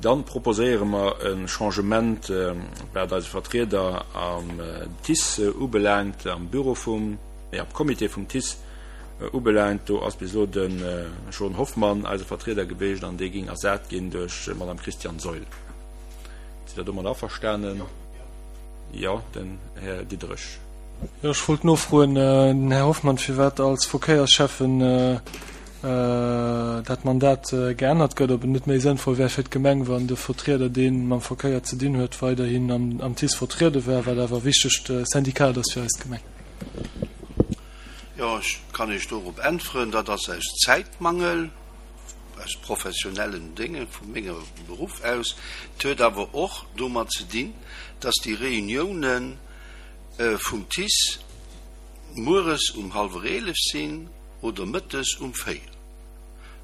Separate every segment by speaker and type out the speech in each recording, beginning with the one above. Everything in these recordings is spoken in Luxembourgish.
Speaker 1: Dann proposéiere mer e Changement, wat eise Vertrieder am TICE ubelaangt, am Büro vum, nee, am Comité vum TICE ubelaangt. Do ass bis elo de Jean Hoffmann eise Vertrieder geweecht an dee géing ersat ginn duerch d'Madame Christiane Saeul. Sidd Der domat averstanen? Jo, den Här Diderich.
Speaker 2: Jo, ech wollt nofroen, den Här Hoffmann, firwat als Verkéiersschäffen dat Mandat geännert gëtt, ob et net méi sënnvoll wär fir d'Gemeng, wann de Vertrieder, dee mam Verkéier ze dinn huet, weiderhin am TICE vertriede wär, wat awer e wichtegt Syndikat ass fir eis Gemeng.
Speaker 3: Jo, ech kann Iech dorop äntweren, dat ass aus Zäitmangel, aus professionellen Dénge vu mengem Beruff aus. Et huet awer och domat ze dinn, dass déi Reuniounen vum TICE mueres um hallwer 11 sinn oder mëttes um 4.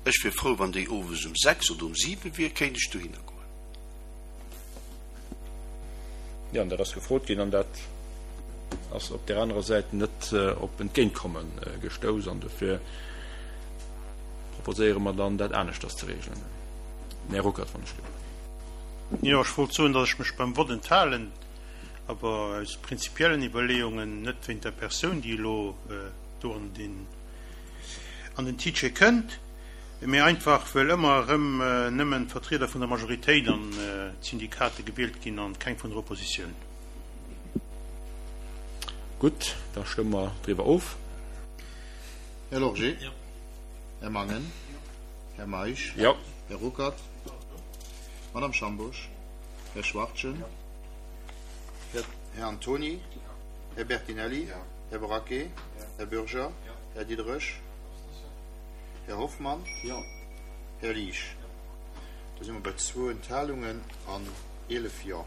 Speaker 3: Ech wier frou, wann déi owes um 6 oder um 7 wier, kéint ech dohinner goen.
Speaker 1: Jo, an dat ass gefrot ginn an dat ass op där anerer Säit net op Entgéintkomme gestouss an dofir proposéiere mer dann, dat aneschters ze regelen. Den Här Ruckert, wann ech gelift.
Speaker 4: Jo, ech wollt soen, datt ech mech beim Vott enthalen, awer aus prinzipiellen Iwwerleeungen, net wéint der Persoun, déi elo do an den an den TICE kënnt, mee einfach well ëmmer erëm nëmmen d'Vertrieder vun der Majoritéit an d'Syndikate gewielt ginn an keng vun der Oppositioun.
Speaker 1: Gutt, da stëmme mer driwwer of.
Speaker 5: Här Lorgé. Här Mangen. Här Meisch.
Speaker 1: Jo.
Speaker 5: Här Ruckert. Madame Schambourg. Här Schwachtgen. Här Antony. Här Bertinelli. Här Braquet. Här Bürger. Här Diderich. Här Hoffmann. Här Liesch. Da si mer bei zwou Enthalungen an 11 Jo.